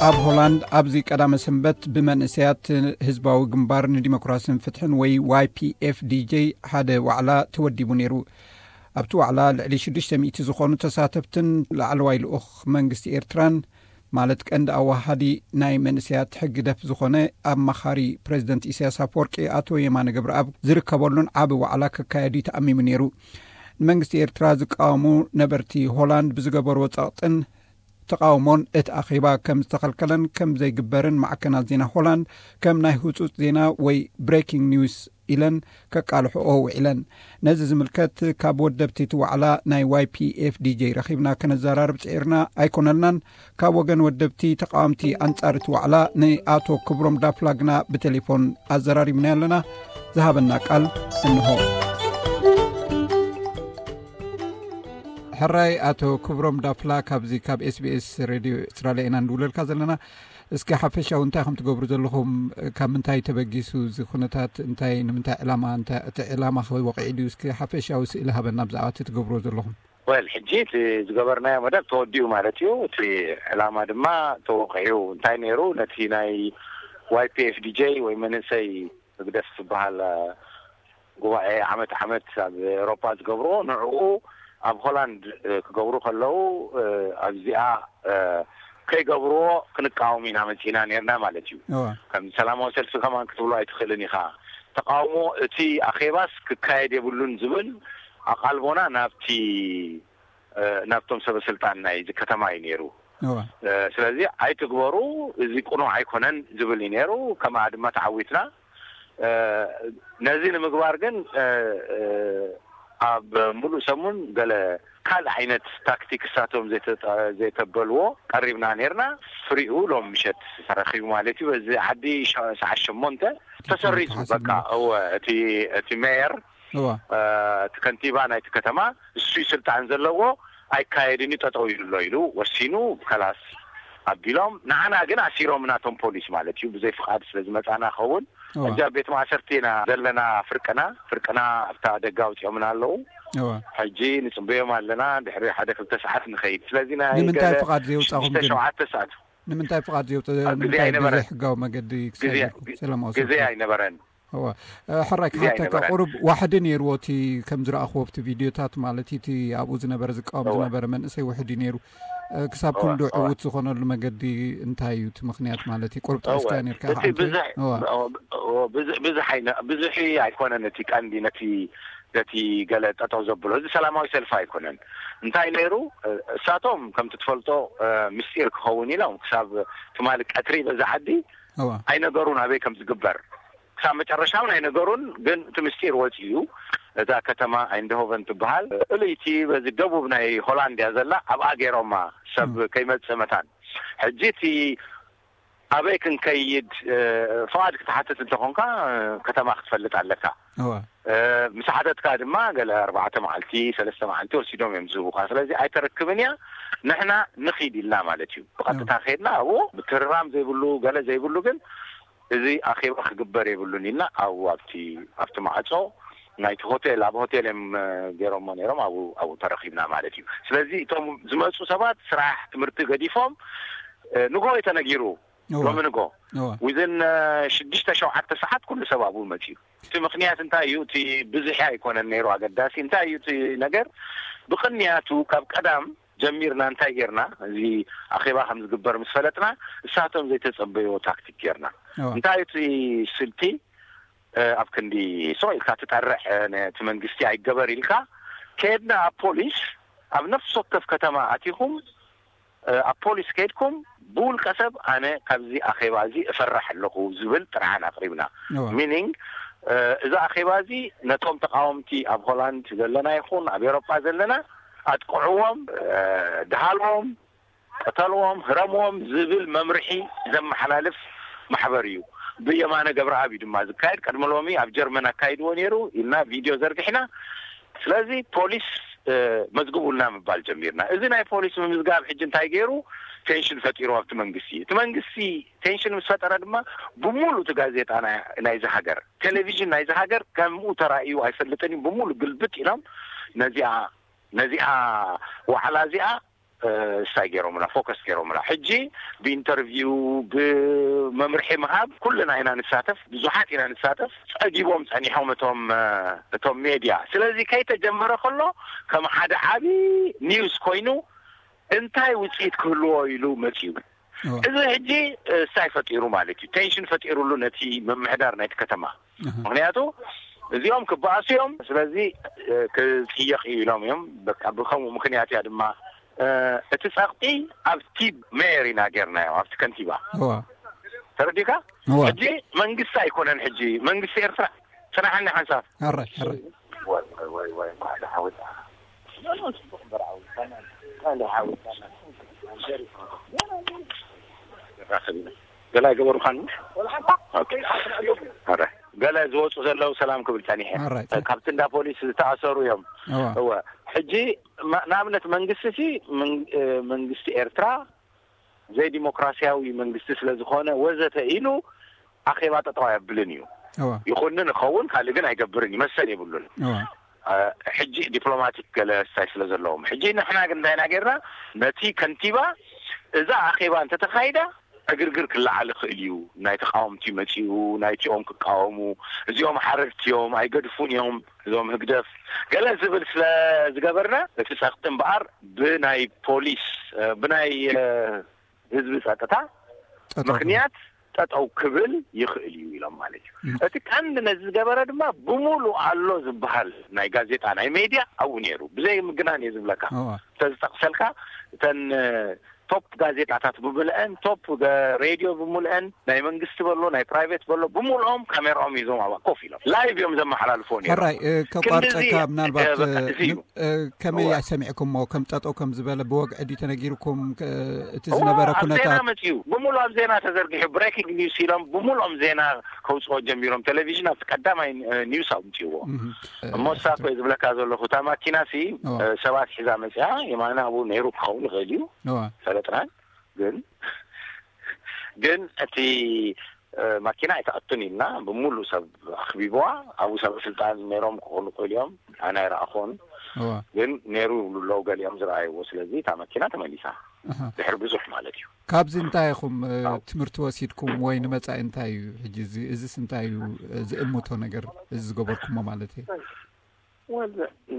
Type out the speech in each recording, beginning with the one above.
ኣብ ሆላንድ ኣብዚ ቀዳመ ሰንበት ብመንእሰያት ህዝባዊ ግንባር ንዲሞክራስን ፍትሕን ወይ ዋይ ፒ ኤፍ ዲ ጄ ሓደ ዋዕላ ተወዲቡ ነይሩ። ኣብቲ ዋዕላ ልዕሊ ሽዱሽተ ሚእቲ ዝኾኑ ተሳተፍትን ላዕለዋይ ልኡኽ መንግስቲ ኤርትራን፣ ማለት ቀንዲ ኣዋሃዲ ናይ መንእሰያት ሕግደፍ ዝኾነ ኣማኻሪ ፕሬዚደንት ኢሳያስ ኣፈወርቂ ኣቶ የማነ ገብረኣብ ዝርከበሉን ዓቢ ዋዕላ ክካየድ እዩ ተኣሚሙ ነይሩ። ንመንግስቲ ኤርትራ ዝቃወሙ ነበርቲ ሆላንድ ብዝገበርዎ ጸቕጥን ተቃውሞን እቲ ኣኼባ ከም ዝተኸልከለን ከም ዘይግበርን ማዕከናት ዜና ሆላንድ ከም ናይ ህጹጽ ዜና ወይ ብሬኪንግ ኒውስ ኢለን ከቃልሕኦ ውዒለን። ነዚ ዝምልከት ካብ ወደብቲ እቲ ዋዕላ ናይ ዋይ ፒ ኤፍ ዲ ጄ ረኺብና ከነዘራርብ ጽዒርና ኣይኮነልናን። ካብ ወገን ወደብቲ ተቃወምቲ ኣንጻር እቲ ዋዕላ ንኣቶ ክብሮም ዳፍላ ግና ብቴሌፎን ኣዘራሪብና ኣለና። ዝሃበና ቃል እንሆ። ሕራይ ኣቶ ክብሮም ዳፍላ፣ ካብዚ ካብ ኤስ ቢ ኤስ ሬድዮ ኣውስትራልያ ኢና ንድውለልካ ዘለና። እስኪ ሓፈሻዊ እንታይ ከም ትገብሩ ዘለኹም፣ ካብ ምንታይ ተበጊሱ እዚ ኩነታት፣ እንታይ፣ ንምንታይ ዕላማ፣ እንታይ፣ እቲ ዕላማ ከ ወቂዒ ድዩ? እስኪ ሓፈሻዊ ስእሊ ሃበና ብዛዕባ እቲ ትገብርዎ ዘለኹም። ወል፣ ሕጂ እቲ ዝገበርናዮ መደብ ተወዲኡ ማለት እዩ። እቲ ዕላማ ድማ ተወቂዑ። እንታይ ነይሩ? ነቲ ናይ ዋይ ፒ ኤፍ ዲ ጄ ወይ መንእሰይ ህግደፍ ዝበሃል፣ እ፣ ጉባኤ ዓመት ዓመት ኣብ ኤውሮጳ ዝገብርዎ፣ ንዕኡ ኣብ ሆላንድ፣ እ፣ ክገብሩ ከለዉ፣ እ፣ ኣብዚኣ፣ እ፣ ከይገብርዎ ክንቃወም ኢና መጺና ነርና ማለት እዩ። እዋ። ከም ሰላማዊ ሰልፊ ከማን ክትብሎ ኣይትኽእልን ኢኻ። ተቃውሞ እቲ ኣኼባስ ክካየድ የብሉን ዝብል ኣቓልቦና ናብቲ፣ እ፣ ናብቶም ሰበ ስልጣን ናይዚ ከተማ እዩ ነይሩ። እዋ። እ፣ ስለዚ ኣይትግበሩ፣ እዚ ቅኑዕ ኣይኮነን ዝብል እዩ ነይሩ። ከምኣ ድማ ተዓዊትና። እ፣ ነዚ ንምግባር ግን፣ እ፣ እ፣ ኣብ ሙሉእ ሰሙን ገለ ካልእ ዓይነት ታክቲክ እሳቶም ዘይተ-፣ ዘይተበልዎ ቀሪብና ነርና። ፍሪኡ ሎም ምሸት ተረኺቡ ማለት እዩ። በዚ ዓዲ ሸ-፣ ሰዓት ሸሞንተ ተሰሪዙ። ተሓሲቡ። በቃ፣ እወ፣ እቲ፣ እቲ ሜየር፣ እዋ። እ፣ እቲ ከንቲባ ናይቲ ከተማ፣ እሱ እዩ ስልጣን ዘለዎ፣ ኣይካየድን እዩ፣ ጠጠው ይብሎ ኢሉ ወሲኑ፣ ከላስ ኣቢሎም። ንዓና ግን ኣሲሮም ናቶም ፖሊስ ማለት እዩ፣ ብዘይ ፍቓድ ስለ ዝመጻና ኸውን። እዋ። ሕጂ ኣብ ቤት ማእሰርቲ ኢና ዘለና። ፍርቅና፣ ፍርቅና ኣብታ ደገ ኣውጺኦምና ኣለዉ። እዋ። ሕጂ ንጽበዮም ኣለና፣ ድሕሪ ሓደ ክልተ ሰዓት ንኸይድ። ስለዚ ናይ ንምንታይ ገለ ፍቓድ ዘየውጻኹም ሽዱሽተ ግን? ሸውዓተ ሰዓት። ንምንታይ ፍቓድ ዘየውጽ-፣ ኣብ ግዜ ንምንታይ ኣይነበረን። ብዘይ ሕጋዊ መገዲ ግዜ፣ ክሳይድኩም ሰላማዊ ግዜ ሰልፊ? ኣይነበረን። እዋ። እ፣ ሕራይ ግዜ ክሓተካ፣ ኣይነበረን። ቁሩብ ዋሕዲ ነይርዎ እቲ ከም ዝረኣኽዎ ኣብቲ ቪድዮታት፣ ማለት እቲ ኣብኡ ዝነበረ ዝቃወም እዋ። ዝነበረ መንእሰይ ውሕድ እዩ ነይሩ። እ፣ ክሳብ እዋ፣ ክንዲ እዋ። ዕዉት ዝኾነሉ መገዲ እንታይ እዩ እቲ ምኽንያት? ማለት እዩ፣ ቁሩብ እዋ። ጠቒስካዮ ነይርካ እቲ ኢኻ ኣንተ። ብዙሕ፣ እዋ። እዋ፣ ብዙ-፣ ብዙሕ ኣይነ-፣ ብዙሕ ኣይኮነን እቲ ቀንዲ ነቲ፣ ነቲ ገለ ጠጠው ዘብሎ። እዚ ሰላማዊ ሰልፊ ኣይኮነን። እንታይ ነይሩ? እ፣ እሳቶም ከምቲ ትፈልጦ፣ እ፣ ምስጢር ክኸውን ኢሎም ክሳብ ትማሊ ቀትሪ በዛ ዓዲ እዋ። ኣይነገሩን ኣበይ ከም ዝግበር። ክሳብ መጨረሻ እውን ኣይነገሩን፣ ግን እቲ ምስጢር ወፂኡ። እዛ ከተማ ኣይንድሆቨን ትበሃል፣ ፍልይቲ በዚ ደቡብ ናይ ሆላንድ እያ ዘላ፣ ኣብኣ ገይሮማ ሰብ እም። ከይመፅእ መታን። ሕጂ እቲ ኣበይ ክንከይድ፣ እ፣ ፍቓድ ክትሓትት እንተኾንካ፣ እ፣ ከተማ ክትፈልጥ ኣለካ። እዋ። እ፣ ምስ ሓተትካ ድማ ገለ ኣርባዕተ መዓልቲ፣ ሰለስተ መዓልቲ ወሲዶም እዮም ዝህቡኻ። ስለዚ ኣይተረክብን እያ፣ ንሕና ንኺድ ኢልና ማለት እዩ። ብቐጥታ እዋ። ከይድና ኣብኡ ምትርራም ዘይብሉ፣ ገለ ዘይብሉ፣ ግን እዚ ኣኼባ ክግበር የብሉን ኢልና ኣብኡ ኣብቲ፣ ኣብቲ ማዕጾ ናይቲ ሆቴል፣ ኣብ ሆቴል እዮም፣ እ፣ ገይሮሞ ነይሮም፣ ኣብኡ፣ ኣብኡ ተረኺብና ማለት እዩ። ስለዚ እቶም ዝመጹ ሰባት ስራሕ፣ ትምህርቲ ገዲፎም፣ እ፣ ንግሆ እዩ ተነጊሩ። እዋ። ሎሚ ንግሆ። እዋ። ዊዝን፣ እ፣ ሽዱሽተ ሸውዓተ ሰዓት ኩሉ ሰብ ኣብኡ መጺኡ። እቲ ምኽንያት እንታይ እዩ? እቲ ብዝሒ ኣይኮነን ነይሩ ኣገዳሲ። እንታይ እዩ እቲ ነገር? ብቕንያቱ ካብ ቀዳም ጀሚርና እንታይ ጌርና? እዚ ኣኼባ ከም ዝግበር ምስ ፈለጥና፣ እሳቶም ዘይተጸበይዎ ታክቲክ ጌርና። እዋ። እንታይ እዩ እቲ ስልቲ? እ፣ ኣብ ክንዲ ስቕ ኢልካ ትጠርዕ፣ እ፣ ነቲ መንግስቲ ኣይገበር ኢልካ፣ ከድና ኣብ ፖሊስ፣ ኣብ ነፍሲ ወከፍ ከተማ ኣቲኹም፣ እ፣ ኣብ ፖሊስ ከድኩም፣ ብውልቀ ሰብ ኣነ ካብዚ ኣኼባ እዚ እፈርሕ ኣለኹ ዝብል ጥርዓን ኣቕሪብና። እዋ። ሚኒንግ፣ እ፣ እዚ ኣኼባ እዚ ነቶም ተቃወምቲ ኣብ ሆላንድ ዘለና ይኹን ኣብ ኤውሮጳ ዘለና ኣጥቅዕዎም፣ እ፣ ድሃልዎም፣ ቅተልዎም፣ ህረምዎም ዝብል መምርሒ ዘመሓላልፍ ማሕበር እዩ። ብየማነ ገብረኣብ እዩ ድማ ዝካየድ። ቅድሚ ሎሚ ኣብ ጀርመን ኣካይድዎ ነይሩ ኢልና ቪድዮ ዘርጊሕና። ስለዚ ፖሊስ፣ እ፣ መዝግቡልና ምባል ጀሚርና። እዚ ናይ ፖሊስ ምምዝጋብ ሕጂ እንታይ ገይሩ? ቴንሽን ፈጢሩ ኣብቲ መንግስቲ። እቲ መንግስቲ ቴንሽን ምስ ፈጠረ ድማ ብምሉእ እቲ ጋዜጣ ናይ፣ ናይዚ ሃገር፣ ቴሌቪዥን ናይዚ ሃገር ከምኡ ተራእዩ ኣይፈልጥን እዩ። ብምሉእ ግልብጥ ኢሎም ነዚኣ፣ ነዚኣ ዋዕላ እዚኣ ስታይ ገይሮምላ፣ ፎከስ ገይሮምላ። ሕጂ ብኢንተርቪው፣ ብመምርሒ ምሃብ ኩልና ኢና ንሳተፍ፣ ብዙሓት ኢና ንሳተፍ። ጸጊቦም ጸኒሖም እቶም እቶም ሜድያ። ስለዚ ከይተጀመረ ከሎ ከም ሓደ ዓቢ ኒውስ ኮይኑ እንታይ ውጽኢት ክህልዎ ኢሉ መጺኡ። እዚ ሕጂ ስታይ ፈጢሩ ማለት እዩ፣ ቴንሽን ፈጢሩሉ ነቲ ምምሕዳር ናይቲ ከተማ። ምክንያቱ እዚኦም ክበኣሱ እዮም። ስለዚ ክጽየቕ እዩ ኢሎም እዮም። በቃ ብከምኡ ምክንያት እያ ድማ እቲ ጸቕጢ ኣብቲ ሜየር ኢና ጌርናዮ፣ ኣብቲ ከንቲባ። ተረዲካ? ሕጂ መንግስቲ ኣይኮነን፣ ሕጂ መንግስቲ ኤርትራ። ጽናሕኒ ሓንሳብ። ኣራይ ኣራይ። ገላ ገበሩካን? ኣራይ። ገለ ዝወፁ ዘለዉ ሰላም ክብል ጸኒሐ። ኣራይ። ካብቲ እንዳ ፖሊስ ዝተኣሰሩ እዮም። እወ። ሕጂ ንኣብነት መንግስቲ ሲ መንግስቲ ኤርትራ ዘይዲሞክራሲያዊ መንግስቲ ስለ ዝኾነ ወዘተ ኢሉ ኣኼባ ጠጠው ኣየብልን እዩ። ይኹንን ይኸውን ካልእ ግን ኣይገብርን እዩ፣ መሰል የብሉን። ሕጂ ዲፕሎማቲክ ገለ ስታይ ስለ ዘለዎም። ሕጂ ንሕና ግን እንታይ ኢና ጌርና? ነቲ ከንቲባ እዛ ኣኼባ እንተተኻይዳ ዕግርግር ክለዓል ይኽእል እዩ፣ ናይ ተቃወምቲ መጺኡ ናይቲኦም ክቃወሙ፣ እዚኦም ሓረድቲ እዮም ኣይገድፉን እዮም እዞም ህግደፍ ገለ ዝብል ስለ ዝገበርና እቲ ጸቕጢ እምበኣር ብናይ ፖሊስ ብናይ ህዝቢ ጸጥታ ምክንያት ጠጠው ክብል ይኽእል እዩ ኢሎም ማለት እዩ። እቲ ቀንዲ ነዚ ዝገበረ ድማ ብሙሉ ኣሎ ዝበሃል ናይ ጋዜጣ ናይ ሜድያ ኣብኡ ነይሩ፣ ብዘይ ምግናን እየ ዝብለካ። ተዝጠቕሰልካ እተን ቶፕ ጋዜጣታት ብምልአን፣ ቶፕ ሬድዮ ብምልአን፣ ናይ መንግስቲ በሎ ናይ ፕራይቬት በሎ ብምልኦም ካሜራኦም ይዞም ኣብ ኮፍ ኢሎም ላይቭ እዮም ዘመሓላልፎ ነይሮም። ሕራይ። ከቋርፀካ ምናልባት ከመይ ሰሚዕኩሞ? ከም ጠጠው ከም ዝበለ ብወግዒ ድዩ ተነጊርኩም? እቲ ዝነበረ ኩነታት ዜና መፅዩ፣ ብምሉ ኣብ ዜና ተዘርጊሑ፣ ብሬኪንግ ኒውስ ኢሎም ብምልኦም ዜና ከውፅኦ ጀሚሮም። ቴሌቪዥን ኣብቲ ቀዳማይ ኒውስ ኣምፅዎ። እሞ ሳኮ ዝብለካ ዘለኹ እታ ማኪና ሲ ሰባት ሒዛ መፅያ፣ የማና ኣብኡ ነይሩ ክኸውን ይኽእል እዩ። ፈለጥናን ግን ግን እቲ ማኪና ኣይተኣቱን ኢልና ብምሉ ሰብ ኣኽቢብዋ። ኣብኡ ሰብ ስልጣን ነይሮም ክኾኑ ክእል እዮም፣ ኣነ ኣይረኣኹን። ግን ነይሩ ይብሉ ኣለዉ ገሊኦም ዝረኣይዎ። ስለዚ እታ መኪና ተመሊሳ ድሕሪ ብዙሕ ማለት እዩ። ካብዚ እንታይ ኢኹም ትምህርቲ ወሲድኩም ወይ ንመጻኢ እንታይ እዩ ሕጂ እዚ? እዚስ እንታይ እዩ ዝእምቶ ነገር እዚ ዝገበርኩሞ ማለት እዩ?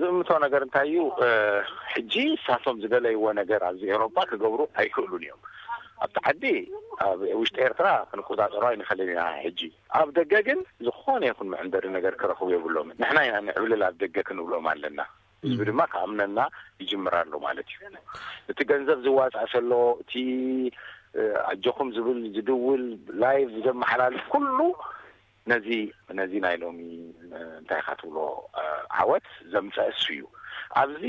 ዝእምቶ ነገር እንታይ እዩ? ሕጂ እሳቶም ዝደለይዎ ነገር ኣብዚ ኤውሮጳ ክገብሩ ኣይክእሉን እዮም። ኣብቲ ዓዲ ኣብ ውሽጢ ኤርትራ ክንቆጻጸሮ ኣይንኽእልን ኢና። ሕጂ ኣብ ደገ ግን ዝኾነ ይኹን መዕንደሪ ነገር ክረኽቡ የብሎምን። ንሕና ኢና ንዕብልል ኣብ ደገ ክንብሎም ኣለና። ህዝቢ ድማ ክኣምነና ይጅምር ኣሎ ማለት እዩ። እቲ ገንዘብ ዝዋጻእ ዘሎ፣ እቲ ኣጆኹም ዝብል ዝድውል፣ ላይቭ ዘመሓላልፍ ኩሉ ነዚ ነዚ ናይ ሎሚ እንታይ ኢኻ ትብሎ ዓወት ዘምፀ እሱ እዩ። ኣብዚ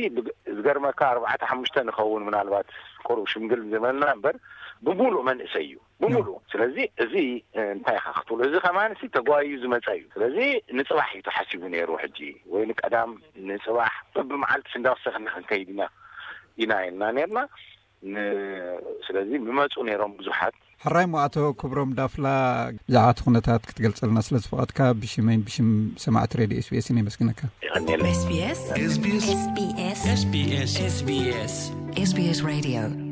ዝገርመካ ኣርባዕተ ሓሙሽተ ንኸውን ምናልባት ቁሩብ ሽምግል ዝበልና እምበር ብሙሉእ መንእሰይ እዩ ብሙሉእ። ስለዚ እዚ እንታይ ኢኻ ክትብሎ፣ እዚ ከማን ሲ ተጓዩ ዝመፀ እዩ። ስለዚ ንፅባሕ እዩ ተሓሲቡ ነይሩ። ሕጂ ወይ ንቀዳም ንፅባሕ በብመዓልቲ እንዳወሰኽና ክንከይድ ኢና ኢና ኢልና ነርና። ስለዚ ምመፁ ነይሮም ብዙሓት። ሕራይ ሞ ኣቶ ክብሮም ዳፍላ፣ ብዛዕባ እቲ ኩነታት ክትገልጸልና ስለ ዝፈቐድካ ብሽመይን ብሽም ሰማዕቲ ሬድዮ ኤስቢኤስን የመስግነካ። የቐንየለይ። SBS SBS SBS SBS SBS Radio